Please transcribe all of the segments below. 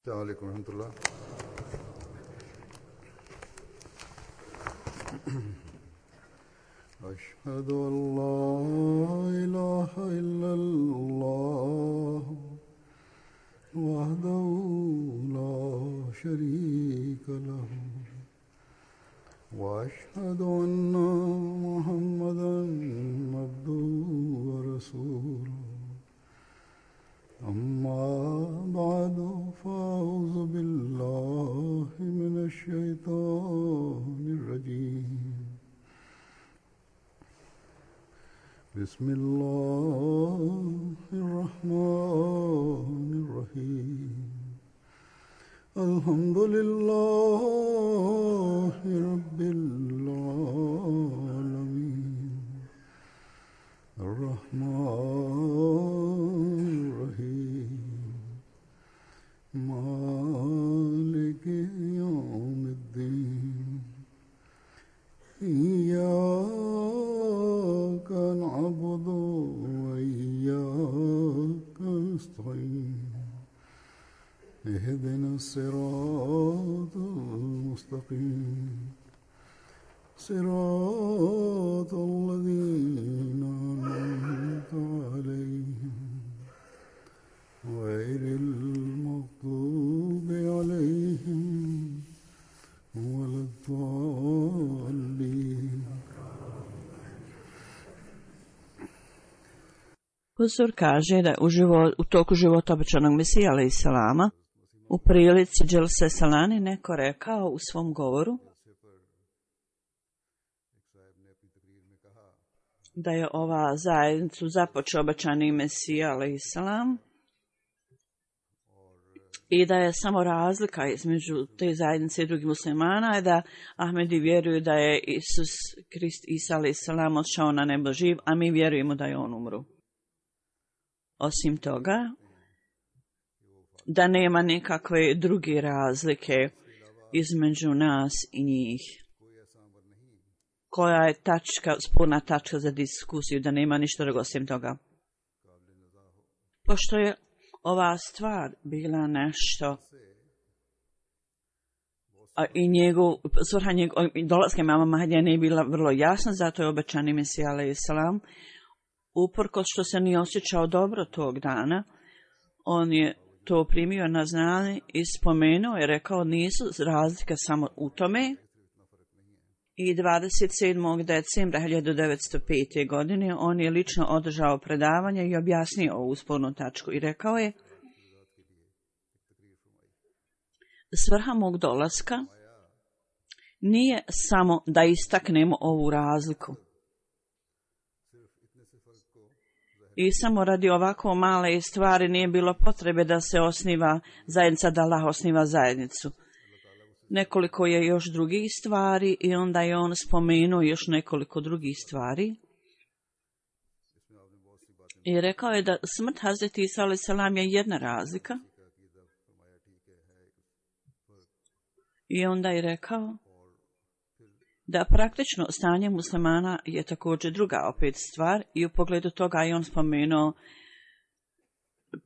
السلام عليكم ورحمة الله. أشهد أن لا إله إلا الله وحده لا شريك له وأشهد أن محمدا عبده ورسوله أما بعد فأعوذ بالله من الشيطان الرجيم بسم الله الرحمن الرحيم الحمد لله رب العالمين الرحمن الرحيم مالك يوم الدين إياك نعبد وإياك نستعين اهدنا الصراط المستقيم صراط الذين أنعمت عليهم غير المغضوب عليهم ولا الضالين. Huzur kaže da u toku života obećanog Mesija alejhi selama u prilici Dželse Salani neko rekao u svom govoru da je ova zajednicu započeo obećani Mesija alejhi selam i da je samo razlika između te zajednice i drugih muslimana je da Ahmedi vjeruju da je Isus Krist Isa alejhi selam odšao na nebo živ, a mi vjerujemo da je on umro. Osim toga, da nema nikakve druge razlike između nas i njih. Koja je sporna tačka za diskusiju, da nema ništa drugo osim toga. Pošto je ova stvar bila nešto i svrha dolaska imama Mahdija nije bila vrlo jasna, zato je obećani Mesija alejhi selam uprkos što se nije osjećao dobro tog dana, on je to primio na znanje i spomenuo i rekao nisu razlike samo u tome. I 27. decembra 1905. godine on je lično održao predavanje i objasnio ovu spornu tačku i rekao je: svrha mog dolaska nije samo da istaknemo ovu razliku. I samo radi ovako male stvari nije bilo potrebe da se osniva zajednica, da Allah osniva zajednicu. Nekoliko je još drugih stvari i onda je on spomenuo još nekoliko drugih stvari. I rekao je da smrt Hazreti Isa alejhi selam je jedna razlika. I onda je rekao da praktično stanje muslimana je također druga opet stvar i u pogledu toga je on spomenuo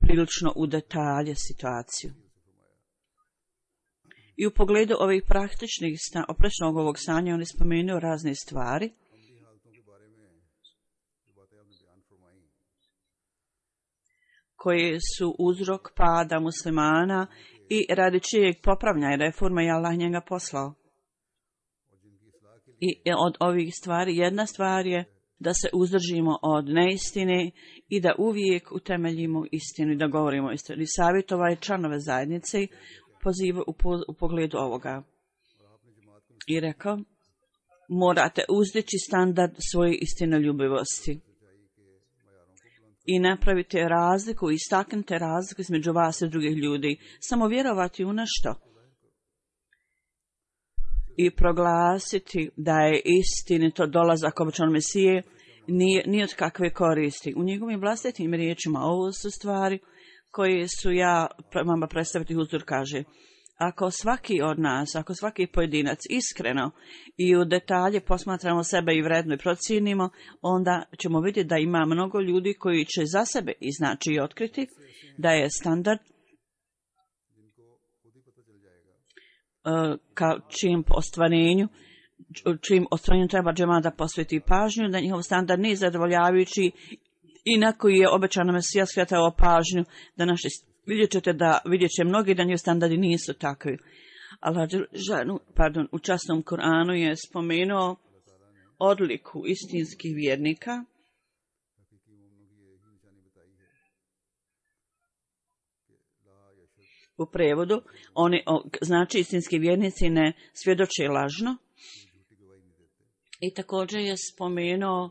prilično u detalje situaciju. I u pogledu ovih praktičnih oprečnog ovog stanja on je spomenuo razne stvari. Koje su uzrok pada muslimana i radi čijeg popravljanja i reforma je Allah njega poslao. I od ovih stvari, jedna stvar je da se uzdržimo od neistine i da uvijek utemeljimo istinu i da govorimo istinu. I savjetovao članove zajednice u pogledu ovoga. I rekao, morate uzdići standard svoje istinoljubivosti. I napravite razliku, istaknite razliku između vas i drugih ljudi. Samo vjerovati u nešto. I proglasiti da je istinito dolazak obećanog Mesije nije od kakve koristi. U njegovim vlastitim riječima ovo su stvari koje su ja vama predstaviti. Huzur kaže, ako svaki od nas, ako svaki pojedinac iskreno i u detalje posmatramo sebe i vredno i procijenimo, onda ćemo vidjeti da ima mnogo ljudi koji će za sebe iznaći i otkriti da je standard ka čim ostvarenju treba džemat da posveti pažnju, da njihov standard nije zadovoljavajući i na koji je obećano Mesija skretao pažnju, da naši vidjet će mnogi da njihov standardi nisu takvi. Allah u časnom Kur'anu je spomenuo odliku istinskih vjernika. U prevodu, znači istinski vjernici ne svjedoče lažno. I također je spomenuo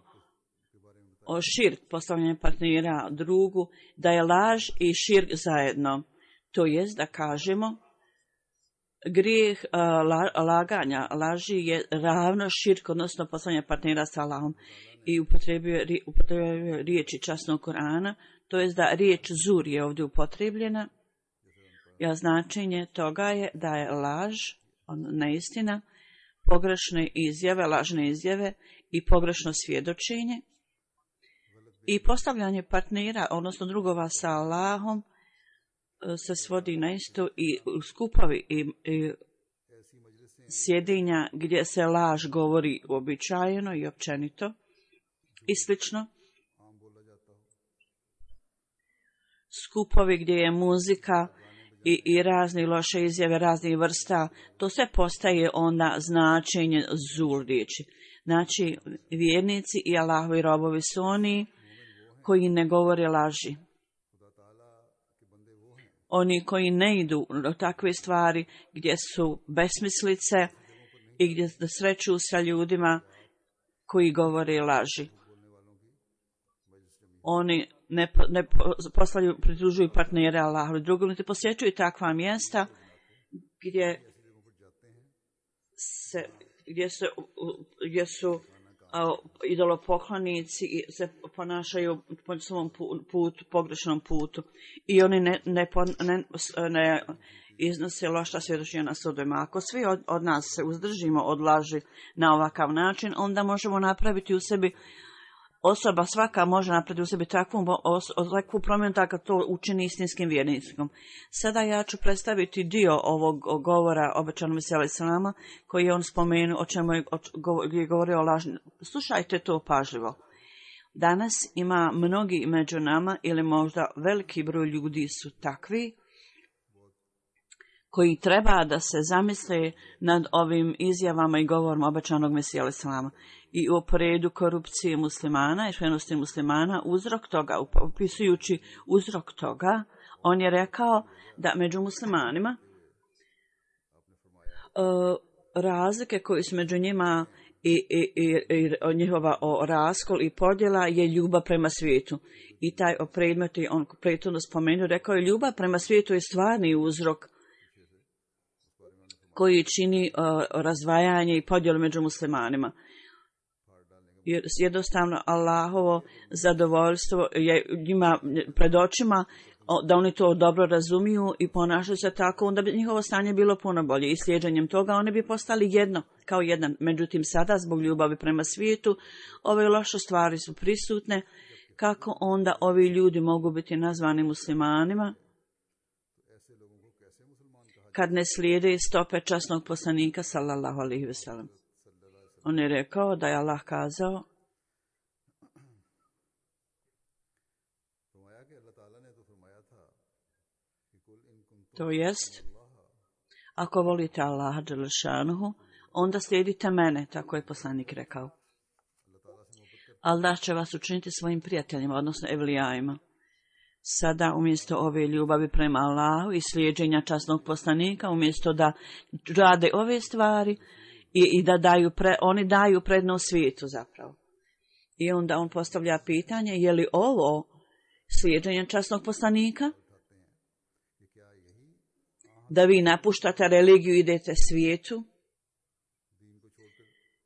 o širk, postavljanje partnera drugu, da je laž i širk zajedno. To jest da kažemo, grijeh laganja, laži je ravno širk, odnosno postavljanje partnera sa Allahom. I upotrebio riječi časnog Kur'ana, to jest da riječ zur je ovdje upotrebljena. Ja značenje toga je da je laž, neistina, pogrešne izjave, lažne izjave i pogrešno svjedočenje i postavljanje partnera, odnosno drugova sa Allahom, se svodi na isto i skupovi i sjedinja gdje se laž govori uobičajeno i općenito i slično. Skupovi gdje je muzika i razni loše izjave, raznih vrsta, to sve postaje onda značenje zur riječi. Znači, vjernici i Allahovi robovi su oni koji ne govore laži. Oni koji ne idu do takve stvari gdje su besmislice i gdje se sreću sa ljudima koji govore laži. Oni ne pridružuju partnere Allahu drugom, niti posjećuju takva mjesta gdje su idolopoklonici i se ponašaju po svom pogrešnom putu. I oni ne iznose loša svjedočenja na sudovima. Ako svi od nas se uzdržimo od laži na ovakav način, onda možemo napraviti u sebi, osoba svaka može napraviti u sebi takvu promjenu tako to učini istinskim vjernicom. Sada ja ću predstaviti dio ovog govora obećanog Mesija alejhi selama koji je on spomenuo, o čemu je govorio o laži. Slušajte to pažljivo. Danas ima mnogi među nama ili možda veliki broj ljudi su takvi koji treba da se zamisle nad ovim izjavama i govorima obećanog Mesija alejhi selama. I u poredu korupcije muslimana i švenosti muslimana, uzrok toga, opisujući uzrok toga, on je rekao da među muslimanima razlike koje su među njima i njihova raskol i podjela je ljubav prema svijetu. I taj predmet je on prethodno spomenuo, rekao je ljubav prema svijetu je stvarni uzrok koji čini razdvajanje i podjelu među muslimanima. Jer jednostavno Allahovo zadovoljstvo je njima pred očima, da oni to dobro razumiju i ponašaju se tako, onda bi njihovo stanje bilo puno bolje. I slijeđenjem toga oni bi postali jedno, kao jedan. Međutim, sada zbog ljubavi prema svijetu, ove loše stvari su prisutne. Kako onda ovi ljudi mogu biti nazvani muslimanima kad ne slijede stope časnog poslanika sallallahu alejhi ve sellem? On je rekao da je Allah kazao to jest, ako volite Allaha dželle šanuhu, onda slijedite mene, tako je poslanik rekao. Allah će vas učiniti svojim prijateljima, odnosno evlijajima. Sada umjesto ove ljubavi prema Allahu i slijeđenja časnog poslanika, umjesto da rade ove stvari, i da oni daju prednost svijetu zapravo. I onda on postavlja pitanje, je li ovo slijeđenje časnog poslanika? Da vi napuštate religiju i idete svijetu?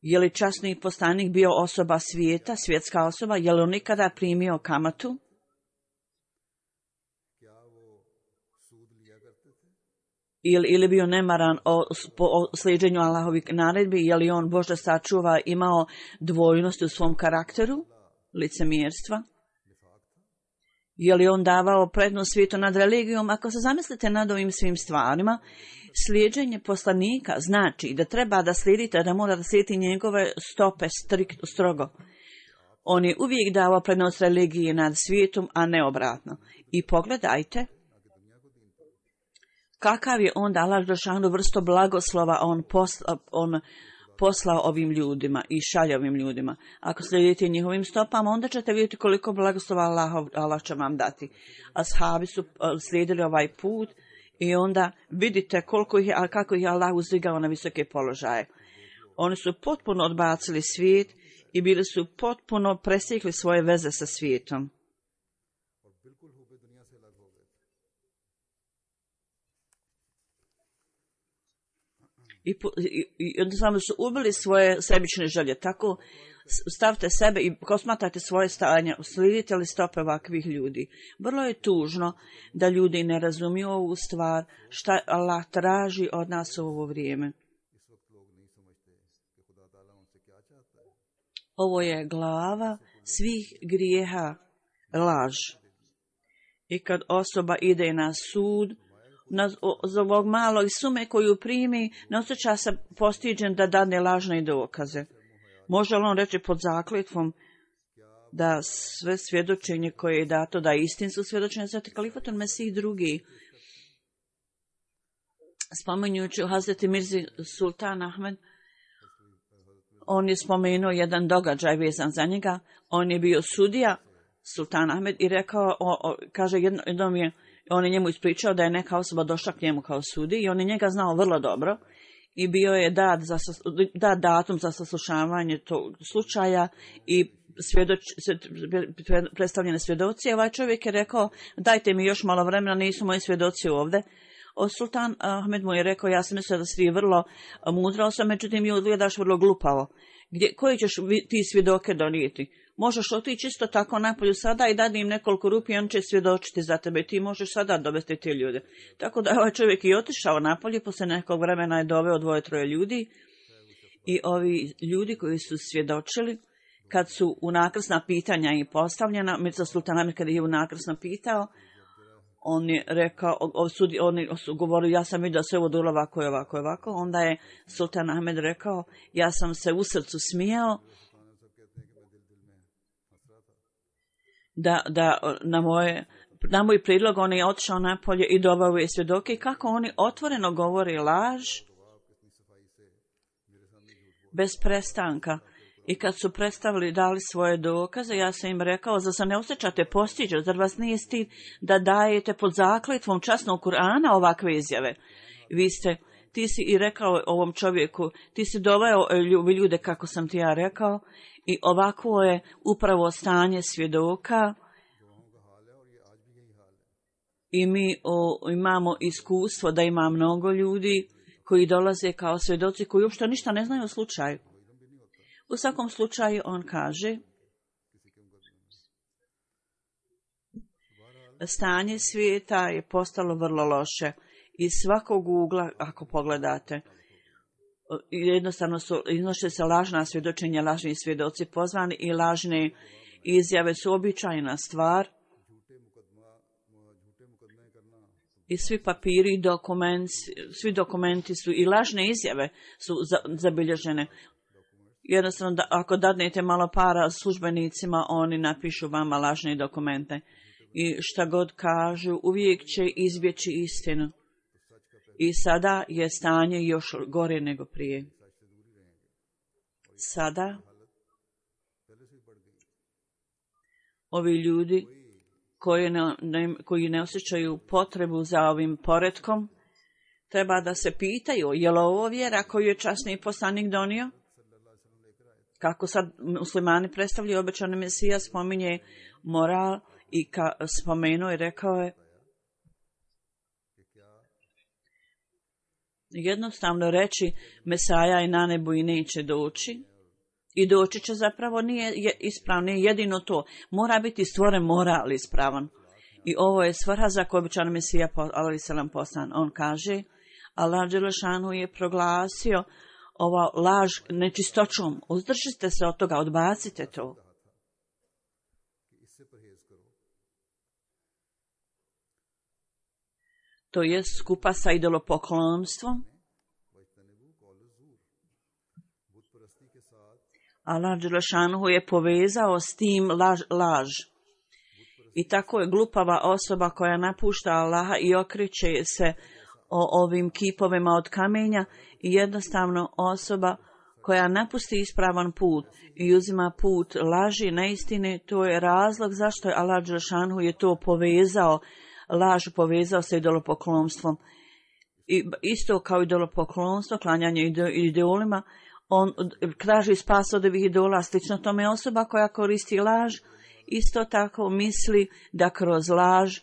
Je li časni poslanik bio osoba svijeta, svjetska osoba? Je li on nikada primio kamatu? Ili bio nemaran o slijeđenju Allahovih naredbi, je li on Božja sačuva imao dvojnost u svom karakteru, licemjerstva? Je li on davao prednost svijetu nad religijom? Ako se zamislite nad ovim svim stvarima, slijeđenje poslanika znači da treba da slijedite, da mora da slijedite njegove stope strogo. On je uvijek davao prednost religiji nad svijetom, a ne obratno. I pogledajte kakav je onda Allah dželešanu vrstu blagoslova on poslao ovim ljudima i šalje ovim ljudima. Ako slijedite njihovim stopama, onda ćete vidjeti koliko blagoslova Allah će vam dati. Ashabi su slijedili ovaj put i onda vidite kako ih je Allah uzdigao na visoke položaje. Oni su potpuno odbacili svijet i bili su potpuno presjekli svoje veze sa svijetom. I jednostavno su ubili svoje sebične želje. Tako stavite sebe i posmatrajte svoje stanje, slijedite li stope ovakvih ljudi. Vrlo je tužno da ljudi ne razumiju ovu stvar, šta Allah traži od nas u ovo vrijeme. Ovo je glava svih grijeha, laž. I kad osoba ide na sud, za ovog malog sume koju primi, ne osjeća se postiđen da dadne lažne dokaze. Može li on reći pod zakletvom da sve svjedočenje koje je dato, da je istinsko svjedočenje, sveti kalifatul Mesih drugi, spominjući Hazreti Mirzi Sultan Ahmed, on je spomenuo jedan događaj vezan za njega. On je bio sudija, Sultan Ahmed, i rekao, kaže, jednom je, on je njemu ispričao da je neka osoba došla k njemu kao sudi i on je njega znao vrlo dobro i bio je dat datum za saslušavanje tog slučaja i predstavljene svjedoci. Ovaj čovjek je rekao, dajte mi još malo vremena, nisu moji svjedoci ovdje. Sultan Ahmed mu je rekao, ja sam mislio da si ti vrlo mudra osoba, međutim mi izgledaš vrlo glupavo. Koji ćeš ti svjedoke donijeti? Možeš otići isto tako napolju sada i dati im nekoliko rupi i on će svjedočiti za tebe. Ti možeš sada dovesti te ljude. Tako da je ovaj čovjek i otišao napolje, poslije nekog vremena je doveo 2-3 ljudi. I ovi ljudi koji su svjedočili, kad su unakrsna pitanja i postavljena, Mirza Sultan Ahmed kad je unakrsno pitao, on je rekao, oni su govorili, ja sam vidio sve ovo dolo ovako i ovako i ovako. Onda je Sultan Ahmed rekao, ja sam se u srcu smijao, da na moj prijedlog on je otišao napolje i doveo je svjedoke i kako oni otvoreno govore laž bez prestanka. I kad su dali svoje dokaze, ja sam im rekao, zar se ne osjećate postiđen, zar vas nije stid da dajete pod zakletvom časnog Kur'ana ovakve izjave? Ti si i rekao ovom čovjeku, ti si doveo ljude kako sam ti ja rekao i ovako je upravo stanje svjedoka i mi imamo iskustvo da ima mnogo ljudi koji dolaze kao svjedoci koji uopšte ništa ne znaju o slučaju. U svakom slučaju on kaže, stanje svijeta je postalo vrlo loše. Iz svakog ugla, ako pogledate, jednostavno iznose se lažna svjedočenja, lažni svjedoci pozvani i lažne izjave su običajna stvar. I svi papiri i svi dokumenti su i lažne izjave su zabilježene. Jednostavno, ako dadnete malo para službenicima, oni napišu vama lažne dokumente. I šta god kažu, uvijek će izbjeći istinu. I sada je stanje još gore nego prije. Sada ovi ljudi koji ne osjećaju potrebu za ovim poretkom, treba da se pitaju, je li ovo vjera koju je časni poslanik donio? Kako sad muslimani predstavljaju obećani Mesija, spominje moral i spomenuo i rekao je, jednostavno reći Mesaja je na nebu i neće doći. I doći će zapravo nije ispravno, nije jedino to. Mora biti stvoren moral ispravan. I ovo je svrha za koju obećani Mesija alejselam poslan. On kaže, Allah dželešanu je proglasio ova laž nečistoćom. Uzdržite se od toga, odbacite to. to je skupa sa idolopoklonstvom. Allah Đelešanuhu je povezao s tim laž. I tako je glupava osoba koja napušta Allaha i okreće se o ovim kipovima od kamenja i jednostavno osoba koja napusti ispravan put i uzima put laži, neistine, to je razlog zašto je Allah Đelešanuhu je to povezao, laž povezao sa idolopoklonstvom. I isto kao idolopoklonstvo, klanjanje idolima, on traži spas od ovih idola, slično tome osoba koja koristi laž, isto tako misli da kroz laž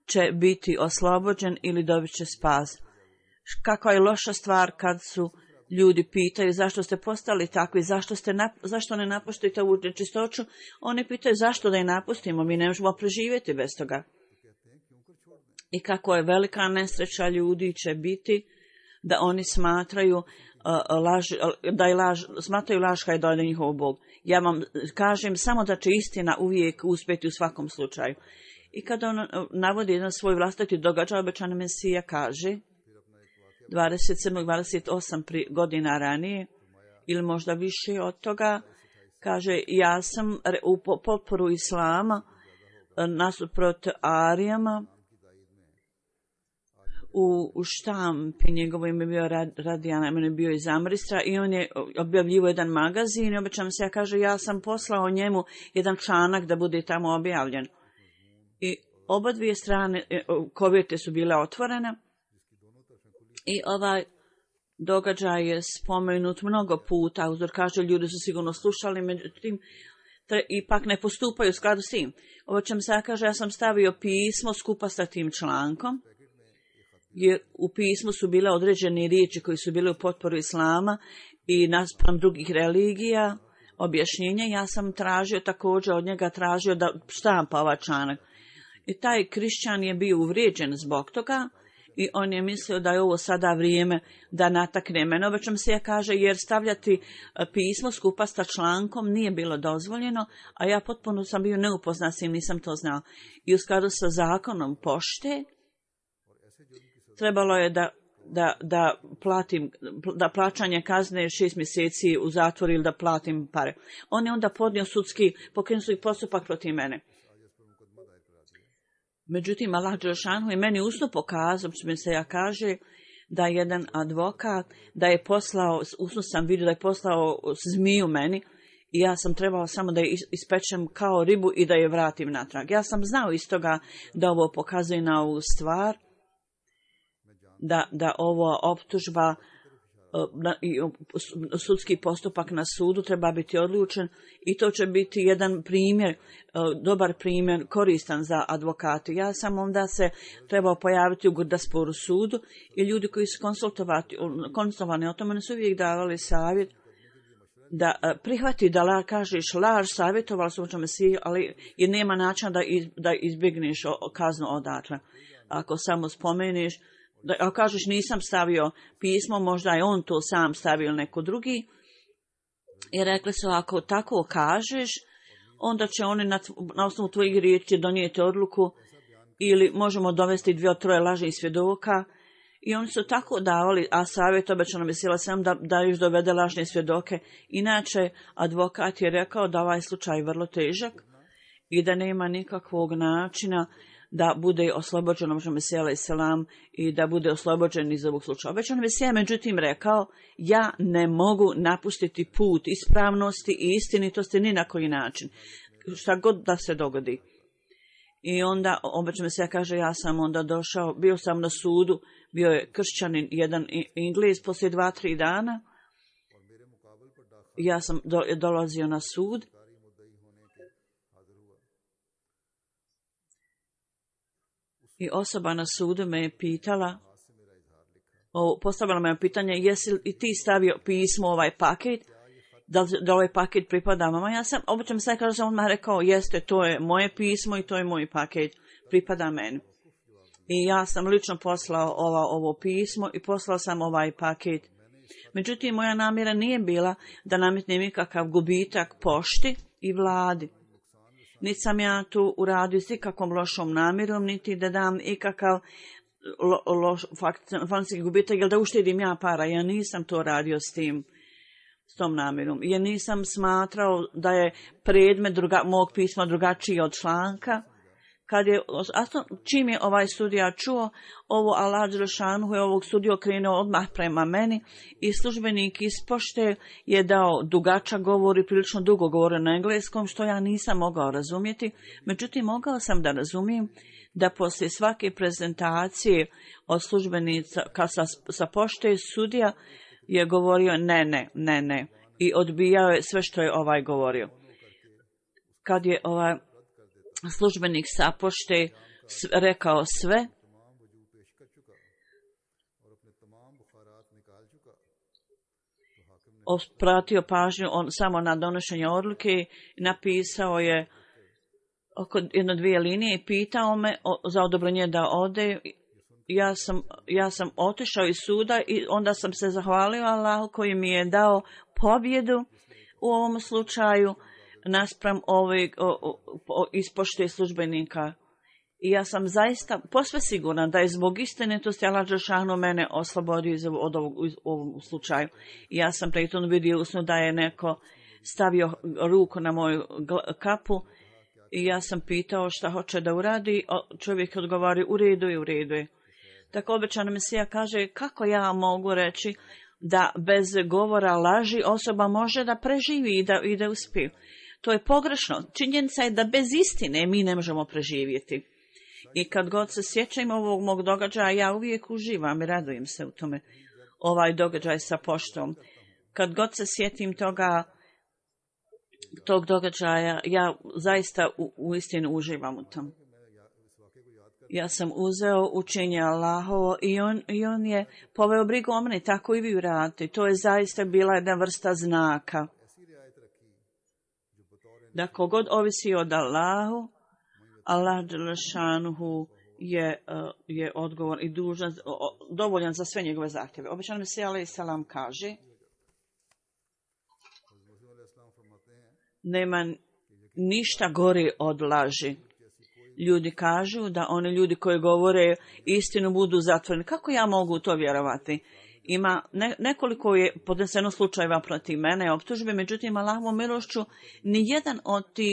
će biti oslobođen ili dobit će spas. Kakva je loša stvar kad su ljudi pitaju zašto ste postali takvi, zašto ne napustite ovu nečistoću, oni pitaju zašto da je napustimo, mi ne možemo preživjeti bez toga. I kako je velika nesreća ljudi će biti da oni smatraju smatraju laž kada dojde njihov Bog. Ja vam kažem samo da će istina uvijek uspjeti u svakom slučaju. I kada on navodi jedan svoj vlastiti događaj, obećani Mesija kaže 27-28 godina ranije ili možda više od toga, kaže ja sam u potporu Islama nasuprot Arijama u štampi, njegovo ime bio Radijana, ime bio iz Amristra i on je objavljivo jedan magazin i obećam se, ja kaže, ja sam poslao njemu jedan članak da bude tamo objavljen. I oba dvije strane kovjete su bile otvorene i ovaj događaj je spomenut mnogo puta, uzor kaže, ljudi su sigurno slušali, međutim, ipak ne postupaju u skladu s tim. Obećam se, ja kaže, ja sam stavio pismo skupa sa tim člankom, jer u pismu su bile određene riječi koji su bile u potporu Islama i naspram drugih religija, objašnjenja. Ja sam također od njega tražio da štampa ovaj članak. I taj krišćan je bio uvrijeđen zbog toga i on je mislio da je ovo sada vrijeme da natakne mene. Obećam se, ja kaže, jer stavljati pismo skupa sa člankom nije bilo dozvoljeno, a ja potpuno sam bio neupoznan s tim, nisam to znao. I u skladu sa zakonom pošte, trebalo je da plaćanje kazne 6 mjeseci u zatvoru ili da platim pare. On je onda podnio pokrenuli postupak protiv mene. Međutim, Allah Đelešanuhu je meni usno pokazao, što se ja kaže, da jedan advokat, da je poslao, usno sam vidio da je poslao zmiju meni i ja sam trebao samo da je ispečem kao ribu i da je vratim natrag. Ja sam znao iz toga da ovo pokazuje na ovu stvar, da ova optužba i sudski postupak na sudu treba biti odlučen i to će biti jedan primjer, dobar primjer, koristan za advokate. Ja sam onda se trebao pojaviti u Gurdasporu sudu i ljudi koji su konsultovani o tome su uvijek davali savjet da prihvati da kažeš laž, savjetovali su o Mesiji, ali jer nema načina da izbjegneš kaznu odatle. Ako samo spomeniš, ako kažeš nisam stavio pismo, možda je on to sam stavio ili neko drugi. I rekli su, ako tako kažeš, onda će oni na osnovu tvojih riječi donijeti odluku ili možemo dovesti 2-3 lažnih svjedoka. I oni su tako davali, a savjet obećano Mesija sam da još dovede lažne svjedoke. Inače, advokat je rekao da ovaj slučaj je vrlo težak i da nema nikakvog načina da bude oslobođen Mesija selam i da bude oslobođen iz ovog slučaja. Obećano Mesija međutim rekao, ja ne mogu napustiti put ispravnosti i istinitosti ni na koji način, šta god da se dogodi. I onda obećano Mesija kaže, ja sam onda došao, bio sam na sudu, bio je kršćanin, jedan Inglez, poslije 2-3 dana, ja sam dolazio na sud. I osoba na sudu me je pitala, postavila me pitanje, jesi li ti stavio pismo ovaj paket, da ovaj paket pripada mama? Ja sam, obično se kaže, sam odmah rekao, jeste, to je moje pismo i to je moj paket, pripada meni. I ja sam lično poslao ovo pismo i poslao sam ovaj paket. Međutim, moja namjera nije bila da nametnem ikakav gubitak pošti i vladi. Niti sam ja tu uradio s ikakvom lošom namjerom, niti da dam ikakav financijski gubitak, jer da uštedim ja para. Ja nisam to radio s tom namjerom. Ja nisam smatrao da je predmet mog pisma drugačiji od članka. Čim je ovaj sudija čuo ovo, Allah Đelešanu je ovog sudiju okrenuo odmah prema meni i službenik iz pošte je dao dugačak govor i prilično dugo govore na engleskom, što ja nisam mogao razumjeti. Međutim, mogao sam da razumijem da poslije svake prezentacije od službenica sa pošte sudija je govorio ne i odbijao je sve što je ovaj govorio. Kad je ovaj službenik sa pošte rekao sve, pratio pažnju samo na donošenje odluke, napisao je oko 1-2 linije i pitao me za odobrenje da ode. Ja sam otišao iz suda i onda sam se zahvalio Allahu koji mi je dao pobjedu u ovom slučaju naspram ispošte službenika. I ja sam zaista posve sigurna da je zbog istinitosti Allah Đelešanu mene oslobodio od ovom slučaju. I ja sam pritom vidio usnu da je neko stavio ruku na moju kapu i ja sam pitao šta hoće da uradi. Čovjek odgovori u redu je. Tako obećana Mesija kaže, kako ja mogu reći da bez govora laži osoba može da preživi i da uspije. To je pogrešno. Činjenica je da bez istine mi ne možemo preživjeti. I kad god se sjećam ovog mog događaja, ja uvijek uživam i radujem se u tome. Ovaj događaj sa poštom. Kad god se sjetim tog događaja, ja zaista u istinu uživam u tom. Ja sam uzeo učenje Allahovo i on je poveo brigu o meni, tako i vi uradite. To je zaista bila jedna vrsta znaka. Da kogod ovisi od Allahu, Allah Đelešanuhu je odgovor i dužan, dovoljan za sve njegove zahtjeve. Obećan Mesija alejhi selam kaže, nema ništa gore od laži. Ljudi kažu da oni ljudi koji govore istinu budu zatvoreni. Kako ja mogu to vjerovati? Ima nekoliko je podneseno slučajeva protiv mene optužbe, međutim Allahovom milošću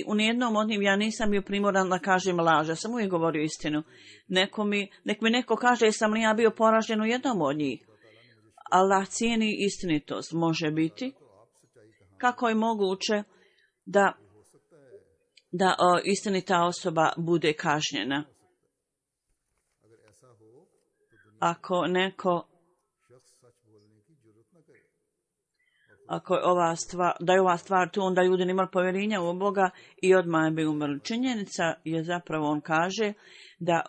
u nijednom od njih ja nisam bio primoran da kažem laž. Ja sam uvijek govorio istinu. Nek mi neko kaže jesam li ja bio poražen u jednom od njih. Allah cijeni istinitost. Može biti. Kako je moguće da istinita osoba bude kažnjena? Ako je ova stvar tu, onda ljudi nemali povjerenja u Boga i odmah bi umrli. Činjenica je zapravo, on kaže, da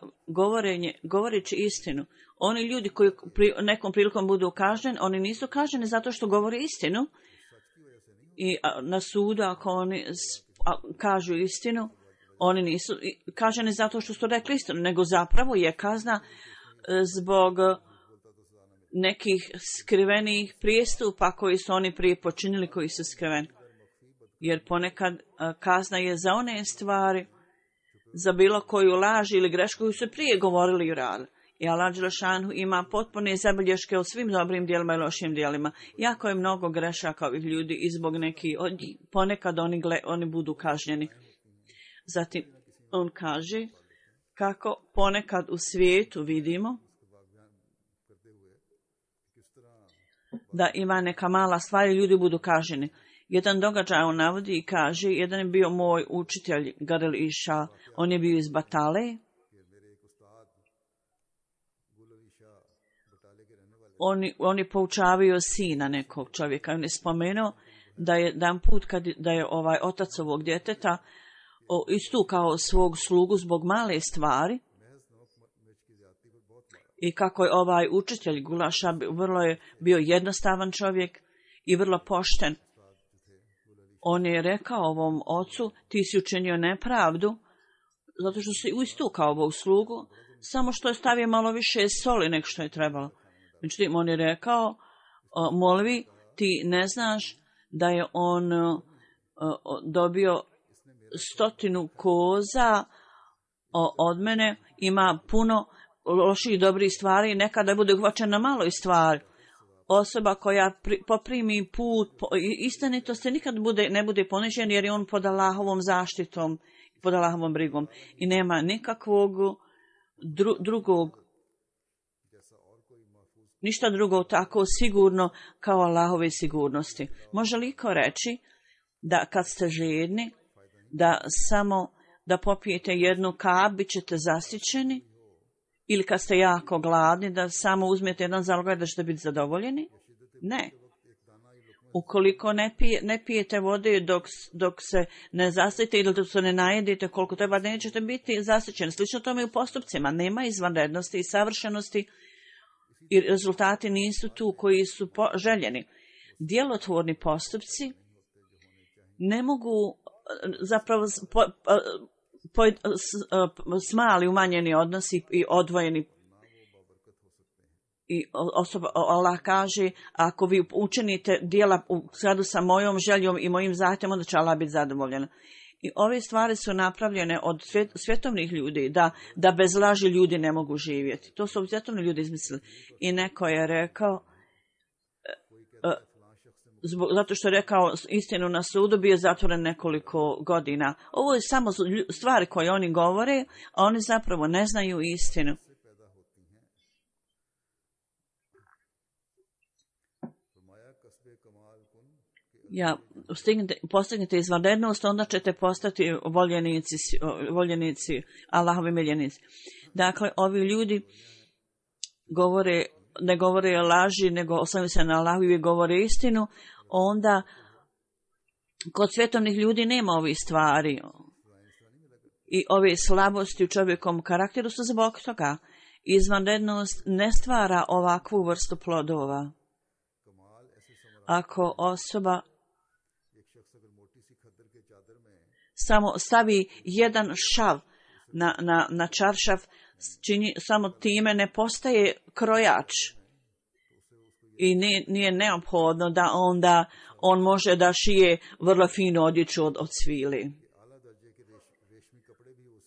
govoreći istinu, oni ljudi koji nekom prilikom budu kažnjeni, oni nisu kažnjeni zato što govore istinu. I na sudu, ako oni kažu istinu, oni nisu kažnjeni zato što su rekli istinu, nego zapravo je kazna zbog nekih skrivenih prijestupa koji su oni prije počinili, koji su skriveni. Jer ponekad kazna je za one stvari, za bilo koju laž ili grešku koju su prije govorili i radili. I Allah Đelešanu ima potpune zabilješke o svim dobrim djelima i lošim djelima. Jako je mnogo grešaka ovih ljudi i zbog nekih od njih. Ponekad oni budu kažnjeni. Zatim on kaže kako ponekad u svijetu vidimo da ima neka mala stvar i ljudi budu kažnjeni. Jedan događaj on navodi i kaže, jedan je bio moj učitelj Garel Iša, on je bio iz Batale. Oni poučavaju sina nekog čovjeka. On je spomenuo da je dan put da je ovaj otac ovog djeteta istukao svog slugu zbog male stvari i kako je ovaj učitelj Gulaša vrlo je bio jednostavan čovjek i vrlo pošten. On je rekao ovom ocu, ti si učinio nepravdu zato što si istukao ovog slugu, samo što je stavio malo više soli nego što je trebalo. Međutim, on je rekao, molvi, ti ne znaš da je on dobio 100 koza od mene, ima puno loših dobrih stvari, nekada bude uhvaćena maloj stvari. Osoba koja poprimi put istinitosti nikad ne bude ponižen jer je on pod Allahovom zaštitom, pod Allahovom brigom i nema nikakvog drugog, ništa drugo tako sigurno kao Allahove sigurnosti. Može li ko reći da kad ste žedni, da samo da popijete jednu kap, bit ćete zasićeni? Ili kad ste jako gladni, da samo uzmete jedan zalogaj da ćete biti zadovoljeni? Ne. Ukoliko ne pijete vode dok se ne zasitite ili dok se ne najedite koliko treba, nećete biti zasićeni. Slično tome i u postupcima. Nema izvanrednosti i savršenosti i rezultati nisu tu koji su željeni. Djelotvorni postupci ne mogu zapravo smali umanjeni odnosi i odvojeni. I Allah kaže, ako vi učinite djela u skladu sa mojom željom i mojim zahtjevom, onda će Allah biti zadovoljan. I ove stvari su napravljene od svjetovnih ljudi, da bez laži ljudi ne mogu živjeti. To su svjetovni ljudi izmislili. I neko je rekao, zato što je rekao istinu na sudu, bio je zatvoren nekoliko godina. Ovo je samo stvari koje oni govore, a oni zapravo ne znaju istinu. Postignete izvanrednost, onda ćete postati voljenici, Allahovi miljenici. Dakle, ovi ljudi ne govore laži, nego oslanjaju se na Allahu i govore istinu, onda kod svjetovnih ljudi nema ovih stvari. I ove slabosti u čovjekom karakteru su zbog toga. Izvanrednost ne stvara ovakvu vrstu plodova. Ako osoba samo stavi jedan šav na čaršav, samo time ne postaje krojač. I nije neophodno da onda on može da šije vrlo finu odjeću od svili.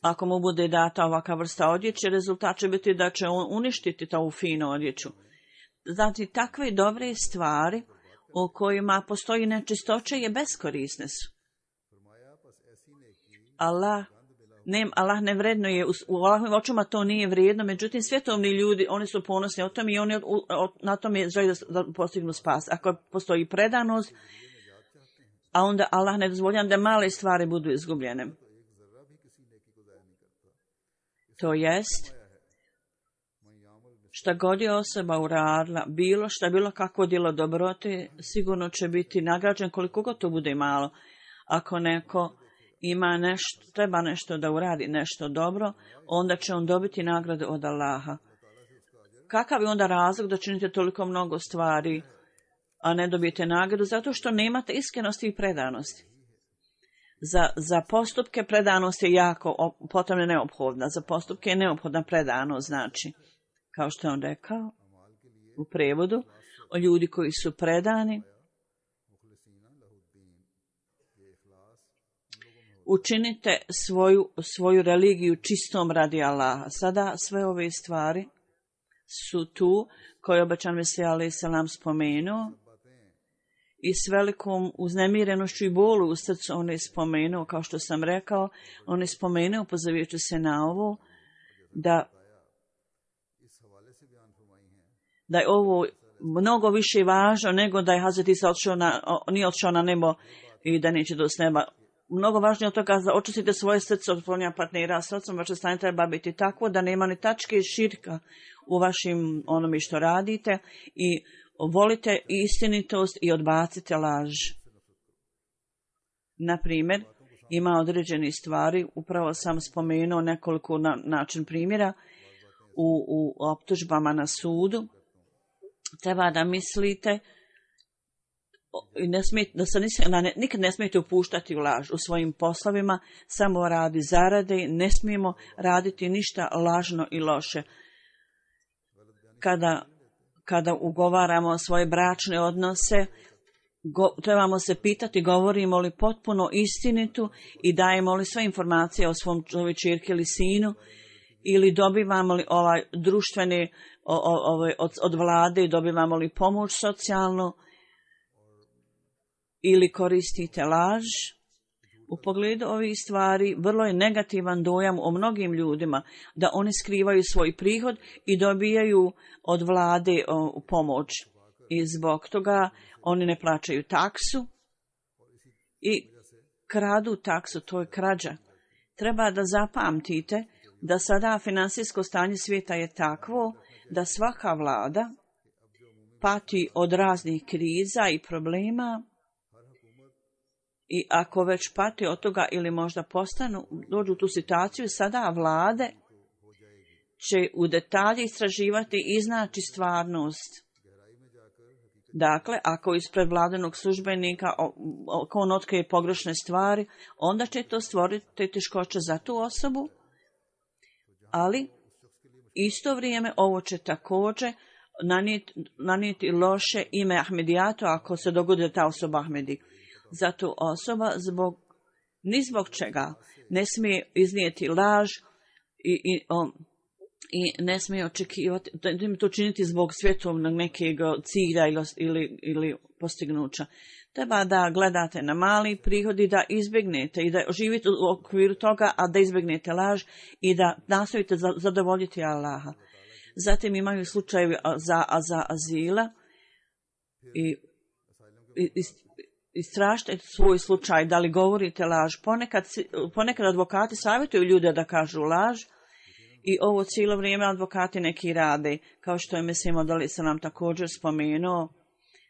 Ako mu bude data ovaka vrsta odjeće, rezultat će biti da će on uništiti tu finu odjeću. Znači, takve dobre stvari u kojima postoji nečistoća je beskorisne su. Allah ne vrednuje, u Allahovim očima to nije vrijedno, međutim svjetovni ljudi, oni su ponosni o tom i oni na tom je želi da postignu spas. Ako postoji predanost, a onda Allah ne dozvoljava da male stvari budu izgubljene. To jest, šta god je osoba uradila, bilo kakvo djelo dobrote, sigurno će biti nagrađen koliko god to bude malo. Ako neko treba nešto da uradi, nešto dobro, onda će on dobiti nagradu od Allaha. Kakav je onda razlog da činite toliko mnogo stvari, a ne dobijete nagradu? Zato što nemate iskrenosti i predanosti. Za postupke predanost je jako potrebna, neophodna. Za postupke je neophodna predanost, znači, kao što je on rekao u prevodu, o ljudi koji su predani, učinite svoju religiju čistom radi Allaha. Sada sve ove stvari su tu koje obećan Mesija alejhi selam spomenuo i s velikom uznemirenošću i bolu u srcu on je spomenuo, kao što sam rekao, on je spomenuo, pozivajući se na ovo, da je ovo mnogo više važno nego da je Hazreti Isa nije otišao na nebo i da neće doći s neba. Mnogo važnije od toga da očistite svoje srce od klonja partnera, srcom vaše stanje treba biti takvo da nema ni tačke širka u vašim onome što radite i volite istinitost i odbacite laž. Na primjer, ima određeni stvari, upravo sam spomenuo nekoliko način primjera u optužbama na sudu. Treba da mislite nikad ne smijete upuštati u laž u svojim poslovima, samo radi zarade, ne smijemo raditi ništa lažno i loše. Kada ugovaramo svoje bračne odnose, trebamo se pitati govorimo li potpuno istinitu i dajemo li sve informacije o svom čovjeku ili sinu ili dobivamo li ovaj društveni od vlade, dobivamo li pomoć socijalnu ili koristite laž. U pogledu ovih stvari vrlo je negativan dojam o mnogim ljudima da oni skrivaju svoj prihod i dobijaju od vlade pomoć. I zbog toga oni ne plaćaju taksu i kradu taksu, to je krađa. Treba da zapamtite da sada finansijsko stanje svijeta je takvo da svaka vlada pati od raznih kriza i problema i ako već pati od toga ili možda dođu u tu situaciju, sada vlade će u detalje istraživati i iznaći stvarnost. Dakle, ako ispred vladinog službenika ako on otkrije pogrešne stvari, onda će to stvoriti teškoće za tu osobu, ali isto vrijeme ovo će također nanijeti loše ime Ahmedijatu ako se dogodi da ta osoba Ahmedi. Zato osoba ni zbog čega ne smije iznijeti laž i ne smije očekivati, to činiti zbog svjetovnog nekeg cilja ili postignuća. Treba da gledate na mali prihod i da izbjegnete i da živite u okviru toga, a da izbjegnete laž i da nastojite zadovoljiti Allaha. Zatim imaju slučajevi za azila i istražite svoj slučaj, da li govorite laž. Ponekad advokati savjetuju ljude da kažu laž i ovo cijelo vrijeme advokati neki rade, kao što je Mesih Maud alejhi selam također spomenuo,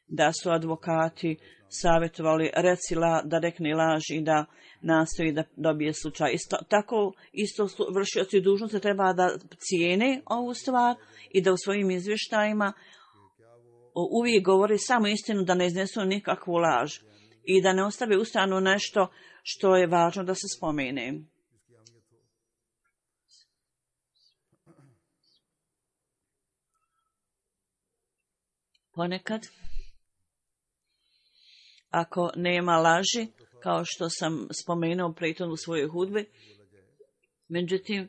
da su advokati savjetovali da rekne laž i da nastoji da dobije slučaj. Tako isto vršioci dužnosti treba da cijene ovu stvar i da u svojim izvještajima uvijek govori samo istinu, da ne iznesu nikakvu laž i da ne ostave ustranu nešto što je važno da se spomene. Ponekad, ako nema laži, kao što sam spomenuo prethodno u svojoj hudbi, međutim,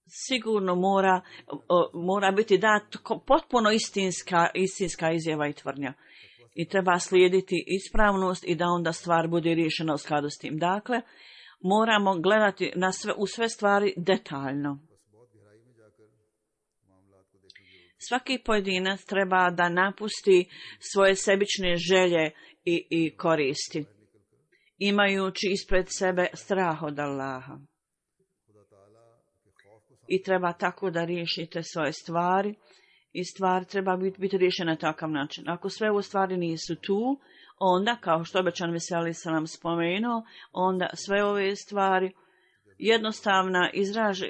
sigurno mora biti dat potpuno istinska izjava i tvrdnja. I treba slijediti ispravnost i da onda stvar bude riješena u skladu s tim. Dakle, moramo gledati u sve stvari detaljno. Svaki pojedinac treba da napusti svoje sebične želje i koristi, imajući ispred sebe strah od Allaha. I treba tako da riješite svoje stvari i stvari treba biti riješene na takav način. Ako sve ovo stvari nisu tu, onda, kao što obećan Mesih alejhi selam spomenuo, onda sve ove stvari jednostavna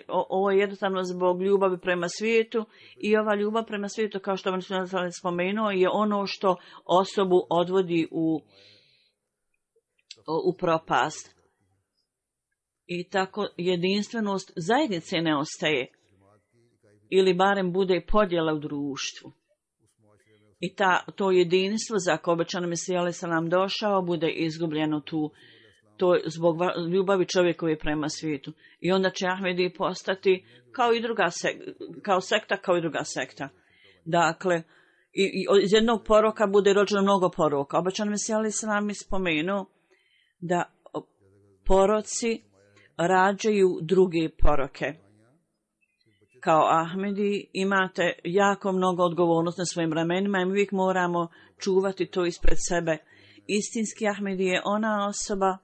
ovo je jednostavno zbog ljubavi prema svijetu i ova ljubav prema svijetu, kao što vam spomenuo, je ono što osobu odvodi u propast. I tako jedinstvenost zajednice ne ostaje ili barem bude podjela u društvu. I to jedinstvo za koje obećan Mesih alejhi selam došao bude izgubljeno tu. To je zbog ljubavi čovjekove prema svijetu. I onda će Ahmedi postati kao druga sekta. Dakle, iz jednog poroka bude rođeno mnogo poroka. Obećan Mesih alejhi selam je spomenuo da poroci rađaju druge poroke. Kao Ahmedi imate jako mnogo odgovornosti na svojim ramenima i mi uvijek moramo čuvati to ispred sebe. Istinski Ahmedi je ona osoba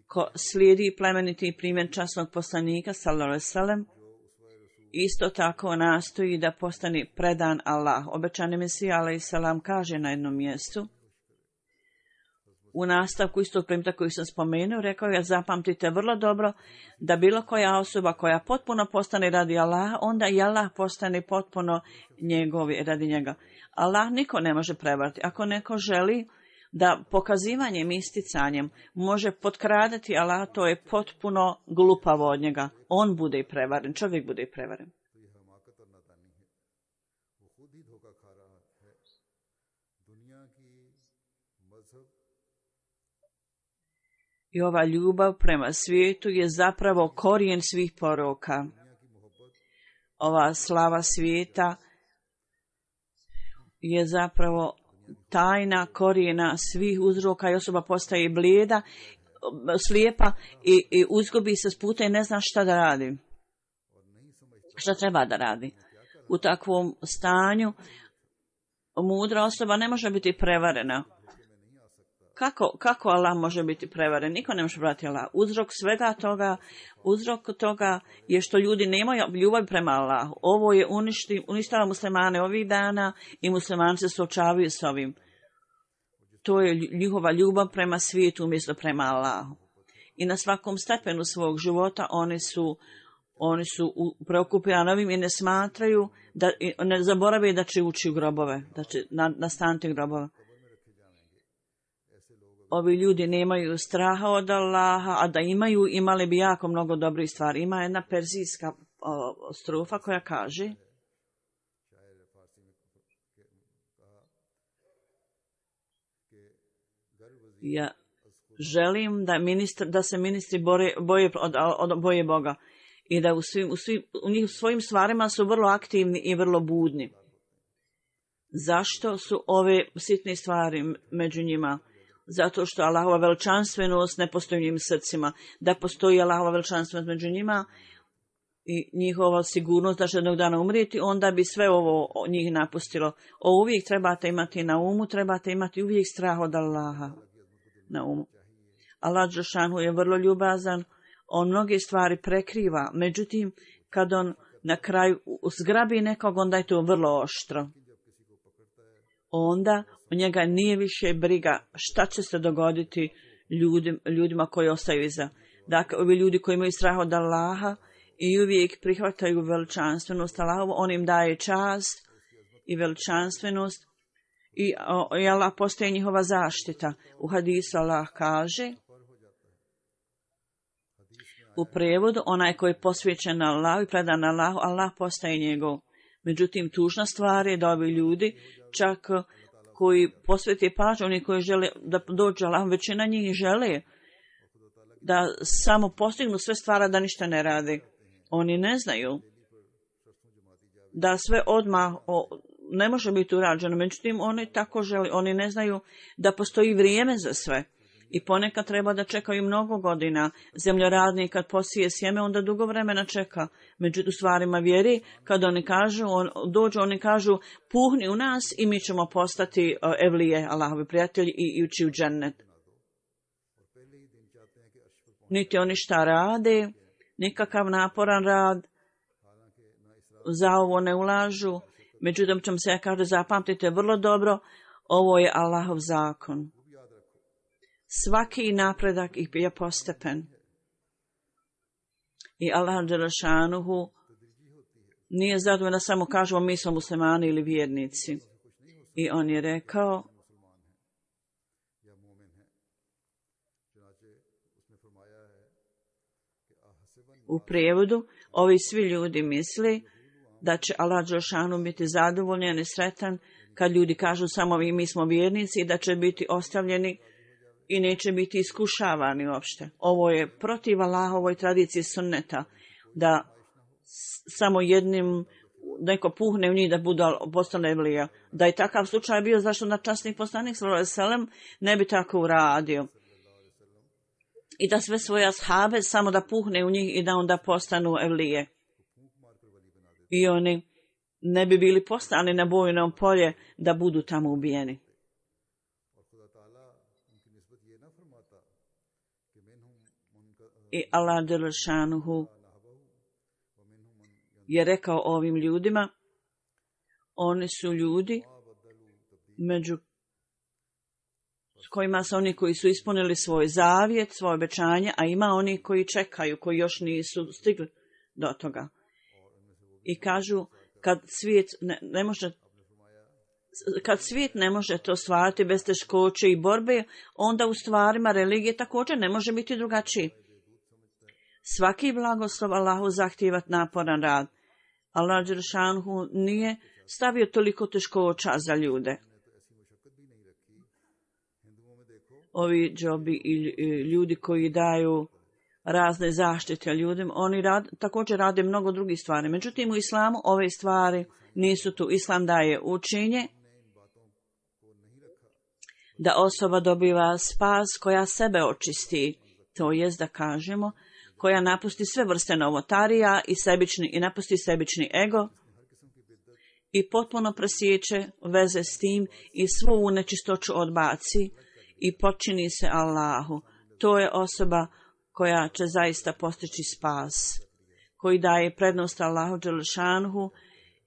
ko slijedi plemeniti primjer časnog poslanika sallallahu alejhi ve sellem, isto tako nastoji da postane predan Allah. Obećani Mesih alejhi selam kaže na jednom mjestu, u nastavku istog primjera koji sam spomenuo, rekao je: zapamtite vrlo dobro da bilo koja osoba koja potpuno postane radi Allaha, onda i Allah postane potpuno njegovi radi njega. Allah niko ne može prevariti. Ako neko želi da pokazivanjem, isticanjem može potkradati Allah, to je potpuno glupavo od njega. On bude i prevaren, čovjek bude i prevaren. I ova ljubav prema svijetu je zapravo korijen svih poroka. Ova slava svijeta je zapravo tajna korijena svih uzroka i osoba postaje blijeda, slijepa i uzgubi se s puta i ne zna šta da radi. Šta treba da radi? U takvom stanju mudra osoba ne može biti prevarena. Kako Allah može biti prevaren? Niko ne može brati Allah. Uzrok toga je što ljudi nemaju ljubav prema Allahu. Ovo je uništava muslimane ovih dana i muslimani se suočavaju s ovim. To je njihova ljubav prema svijetu umjesto prema Allahu. I na svakom stepenu svog života oni su preokupirani ovim i ne smatraju, ne zaborave da će ući u grobove, da će nastaniti grobove. Ovi ljudi nemaju straha od Allaha, a da imali bi jako mnogo dobrih stvari. Ima jedna perzijska strofa koja kaže: ja želim da se ministri boje Boga i da u svojim stvarima su vrlo aktivni i vrlo budni. Zašto su ove sitne stvari među njima? Zato što Allahova veličanstvenost ne postoji u njim srcima. Da postoji Allahova veličanstvenost među njima i njihova sigurnost da će jednog dana umrijeti, onda bi sve ovo njih napustilo. Uvijek trebate imati na umu, trebate imati uvijek strah od Allaha na umu. Allah dželešanu je vrlo ljubazan, on mnoge stvari prekriva, međutim, kad on na kraju zgrabi nekog, onda je to vrlo oštro. Onda u njega nije više briga šta će se dogoditi ljudima koji ostaju iza. Dakle, ovi ljudi koji imaju strah od Allaha i uvijek prihvataju veličanstvenost Allahovu, on im daje čast i veličanstvenost i Allah postaje njihova zaštita. U hadisu Allah kaže, u prijevodu, onaj koji je posvećen Allahu i predan Allahu, Allah postaje njegov. Međutim, tužna stvar je da ovi ljudi, čak koji posvete pažnju, oni koji žele da dođe Allah, većina njih žele da samo postignu sve stvari, da ništa ne rade. Oni ne znaju da sve odmah ne može biti urađeno, međutim oni tako žele, oni ne znaju da postoji vrijeme za sve. I ponekad treba da čekaju mnogo godina. Zemljoradnik kad posije sjeme, onda dugo vremena čeka. Međutim, stvarima vjeri, kad oni kažu, oni kažu, puhni u nas i mi ćemo postati evlije, Allahovi prijatelji i ući u džennet. Niti oni šta rade, nikakav naporan rad, za ovo ne ulažu. Međutim, ćemo se kaže, zapamtite vrlo dobro, ovo je Allahov zakon. Svaki napredak je postepen. I Allah dželešanuhu nije zadovoljan da samo kažemo mi smo muslimani ili vjernici. I on je rekao, u prijevodu, ovi svi ljudi misli da će Allah dželešanuhu biti zadovoljan i sretan kad ljudi kažu samo mi smo vjernici i da će biti ostavljeni i neće biti iskušavani uopšte. Ovo je protiv Allahovoj tradiciji sunneta, da samo jednim neko puhne u njih da budu postane evlija. Da je takav slučaj bio, zašto na časni poslanik sallallahu alejhi ve sellem ne bi tako uradio. I da sve svoje ashabe samo da puhne u njih i da onda postanu evlije. I oni ne bi bili poslani na bojnom polje da budu tamo ubijeni. I Allah dželešanuhu je rekao ovim ljudima, oni su ljudi među kojima su oni koji su ispunili svoj zavjet, svoje obećanje, a ima oni koji čekaju, koji još nisu stigli do toga. I kažu, kad svijet ne može to stvarati bez teškoće i borbe, onda u stvarima religije također ne može biti drugačiji. Svaki blagoslov Allahu zahtijeva naporan rad. Allah dželešanuhu nije stavio toliko teškoća za ljude. ovi džobi i ljudi koji daju razne zaštite ljudima, oni također rade mnogo drugih stvari. Međutim, u islamu ove stvari nisu tu. Islam daje učenje da osoba dobiva spas koja sebe očisti, to jest da kažemo, koja napusti sve vrste novotarija i napusti sebični ego i potpuno presjeće veze s tim i svu nečistoću odbaci i počini se Allahu. To je osoba koja će zaista postići spas, koji daje prednost Allahu dželešanhu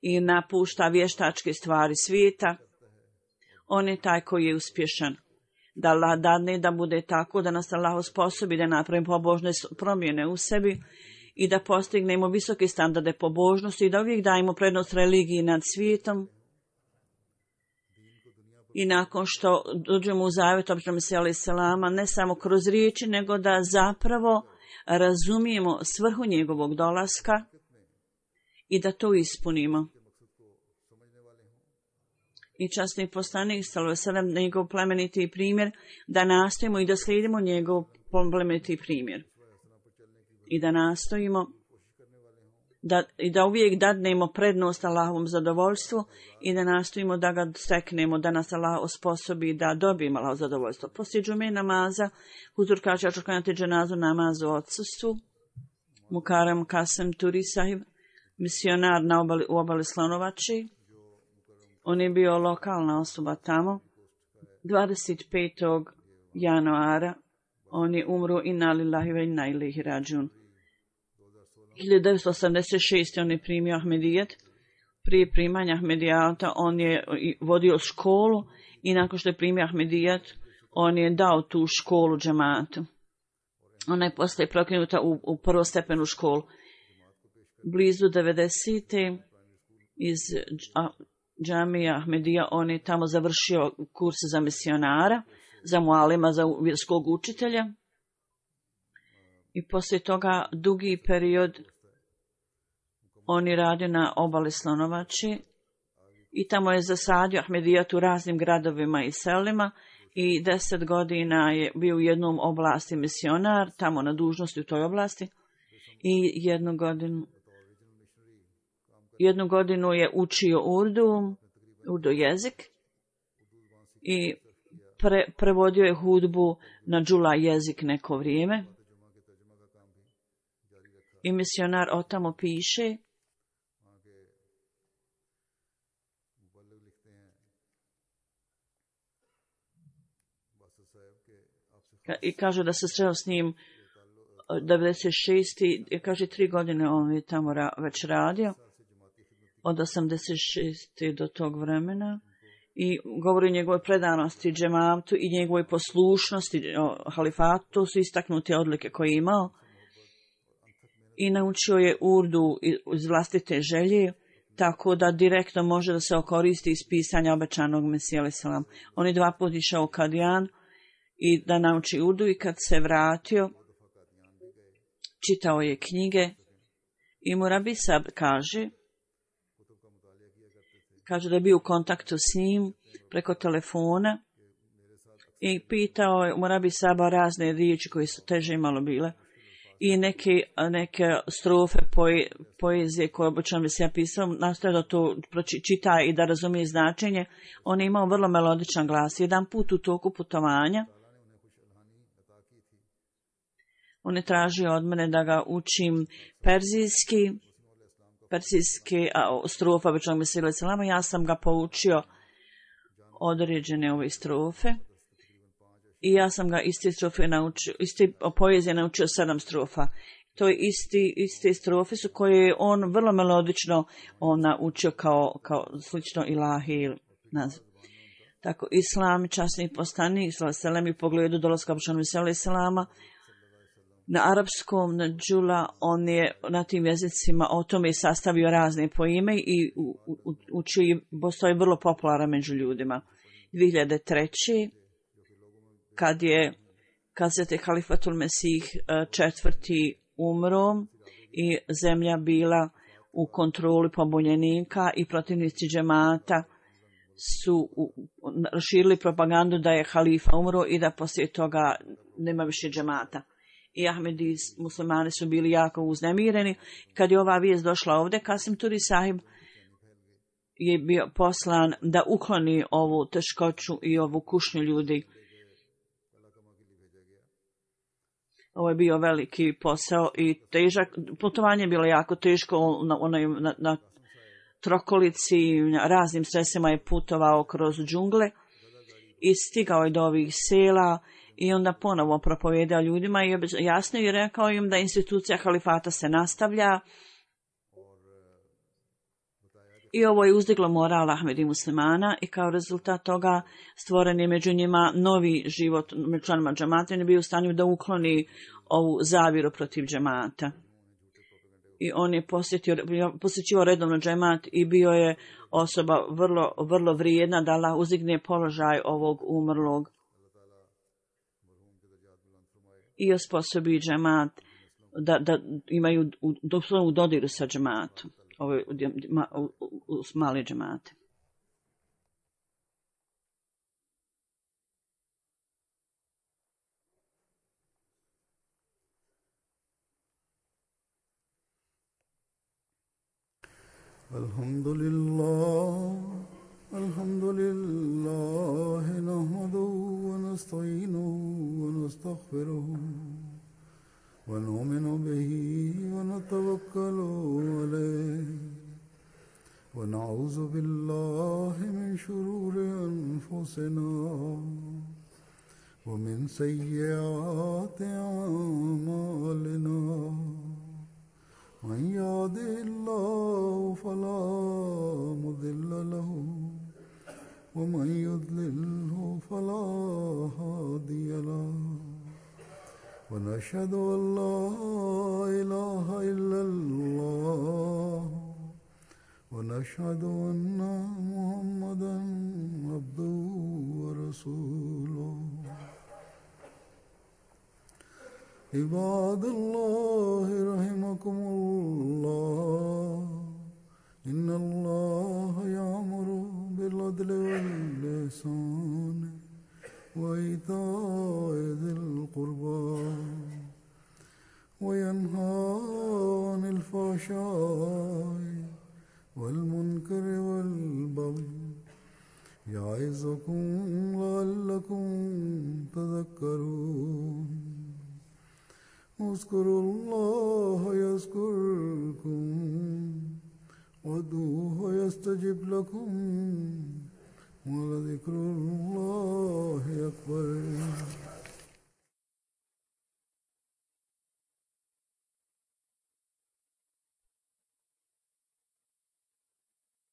i napušta vještačke stvari svijeta. On je taj koji je uspješan. Da Allah dadne da bude tako, da nas Allah osposobi da napravimo pobožne promjene u sebi i da postignemo visoke standarde pobožnosti i da uvijek dajemo prednost religiji nad svijetom. I nakon što dođemo u zavjet običnom Mesija selama, ne samo kroz riječi, nego da zapravo razumijemo svrhu njegovog dolaska i da to ispunimo. I časni poslanik sallallahu njegov plemeniti primjer, da nastojimo i da slijedimo njegov plemeniti primjer. I da nastojimo da uvijek dadnemo prednost Allahovom zadovoljstvu i da nastojimo da ga steknemo, da nas Allah osposobi da dobijemo Allahovo zadovoljstvo. Poslije džume namaza, huzur kaže, ja ću klanjati dženazu namazu u odsustvu. Mukarram Kasem Turi sahib, misionar u obali Slonovači. On je bio lokalna osoba tamo. 25. januara on je umro inna lillahi wa inna ilaihi rađun. 1986. on je primio Ahmedijet. Prije primanja Ahmedijata on je vodio školu i nakon što je primio Ahmedijet on je dao tu školu džematu. Ona je poslije prokinuta u prvostepenu školu. Blizu 90. iz džamija Ahmedija, on je tamo završio kurs za misionara, za mualima, za vjerskog učitelja. I poslije toga dugi period on je radio na obali Slonovači i tamo je zasadio Ahmedijat u raznim gradovima i selima i 10 godina je bio u jednom oblasti misionar, tamo na dužnosti u toj oblasti i jednu godinu je učio urdu jezik i prevodio je hudbu na džula jezik neko vrijeme. I misionar o tamo piše i kaže da se sreo s njim 96. Kaže 3 godine on je tamo već radio. Od 86. do tog vremena i govori o njegovoj predanosti džematu i njegovoj poslušnosti halifatu. To su istaknute odlike koje je imao i naučio je urdu iz vlastite želje, tako da direktno može da se okoristi iz pisanja obećanog Mesija alejhi selam. On je 2 puta išao u Kadijan i da nauči urdu i kad se vratio čitao je knjige i Murabi Sab kaže da je bio u kontaktu s njim preko telefona i pitao je Murabi Saba razne riječi koje su teže malo bile i neke strofe poezije koje obično bi se ja pisao, nastoje da to čita i da razumije značenje. On je imao vrlo melodičan glas. Jedan put u toku putovanja on je tražio od mene da ga učim perzijski strofa običnog Mesija alejhi selam. Ja sam ga poučio određene ove strofe i ja sam ga iste poezije naučio 7 strofa. To je iste strofe su koje je on vrlo melodično naučio kao slično ilahi naziv. Tako islam, časni poslanik sallallahu alejhi ve sellem, u pogledu dolaska običnog Mesija alejhi selama na arapskom, na džula, on je na tim jezicima o tome sastavio razne poime i učio i postoji vrlo popularan među ljudima. 2003. kad je Hazreti Halifatul Mesih IV. Umro i zemlja bila u kontroli pobunjenika i protivnici džemata su širili propagandu da je halifa umro i da poslije toga nema više džemata. I Ahmedi muslimani su bili jako uznemireni. Kad je ova vijest došla ovdje, Kasim Turi sahib je bio poslan da ukloni ovu teškoću i ovu kušnju ljudi. Ovo je bio veliki posao i težak. Putovanje je bilo jako teško. Na trokolici, raznim sredstvima je putovao kroz džungle i stigao je do ovih sela i onda ponovo propovijedao ljudima i jasno je rekao im da institucija halifata se nastavlja. I ovo je uzdiglo moral Ahmedi muslimana i kao rezultat toga stvoren je među njima novi život među članima džemata i ne bio u stanju da ukloni ovu zaviru protiv džemata. I on je posjećivao redovno džemat i bio je osoba vrlo, vrlo vrijedna da Allah uzdigne položaj ovog umrlog i osposobi džemat da imaju u dodiru sa džematom. Ovo je mali džemate. Alhamdulillah, nahmaduhu wa nasta'inuhu wa nastaghfiruhu wa nu'minu bihi wa natawakkalu alayhi wa na'udhu billahi min shururi anfusina wa min sayyiati a'malina. من يهده الله فلا مضل له ومن يضلله فلا هادي له ونشهد أن لا إله إلا الله ونشهد أن محمدا عبده ورسوله. عباد الله رحمكم الله إن الله يأمر بالعدل والإحسان وإيتاء ذي القربى وينهى عن الفحشاء والمنكر والبغي يعظكم لعلكم تذكرون. اذكروا الله يذكركم وادعوه يستجب لكم ولذكر الله أكبر.